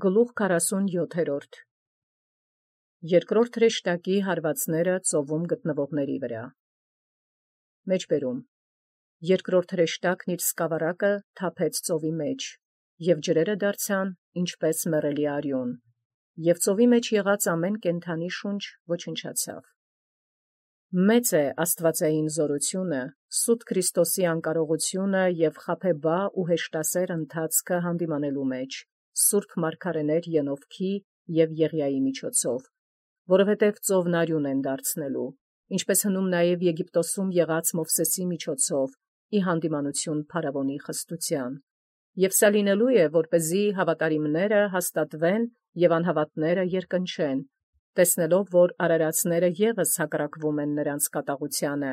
Գլուխ 47 Երկրորդ հրեշտակի հարվածները ծովում գտնվողների վրա։ Մեջբերում երկրորդ հրեշտակն իր սկավառակը թափեց ծովի մեջ, և ջրերը դարձան ինչպես մեռելի արյուն, և ծովի մեջ եղած ամեն կենդանի շունչ ոչնչացավ։ Մեծ է աստվածային զորությունը, սուտ Քրիստոսի անկարողությունը և խաբեբայ ու հեշտասեր ընթացքը հանդիմանելու մեջ, սուրբ մարգարեներ Ենովքի և Եղիայի միջոցով, որովհետև ծովն արյուն են դարձնելու, ինչպես հնում նաև Եգիպտոսում եղած Մովսեսի միջոցով, ի հանդիմանություն փարավոնի խստության, և սա լինելու է, որպեսզի հավատարիմները հաստատվեն և անհավատները երկնչեն, տեսնելով, որ արարածները ևս հակառակվում են նրանց կատաղությանը,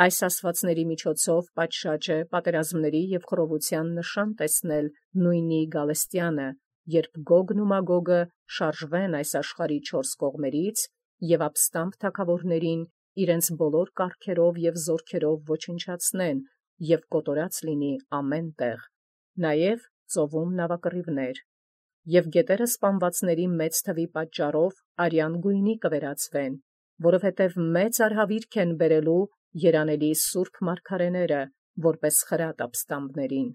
այս ասացվածների միջոցով պատշաճ է պատերազմների և խռովության նշան տեսնել նույնի Գալստեանը, երբ Գոգն ու Մագոգը շարժվեն այս աշխարհի չորս կողմերից և ապստամբ թագավորներին իրենց բոլոր կարգերով և զորքերով ոչնչացնեն և կոտորած լինի ամեն տեղ, նաև ծովում նավակռիվներ, և գետերը սպանվածների մեծ թվի պատճառով արյան գույնի կվերածվեն, որովհետև մեծ արհավիրք են բերելու երանելի սուրբ մարգարեները, որպես խրատ ապստամբներին։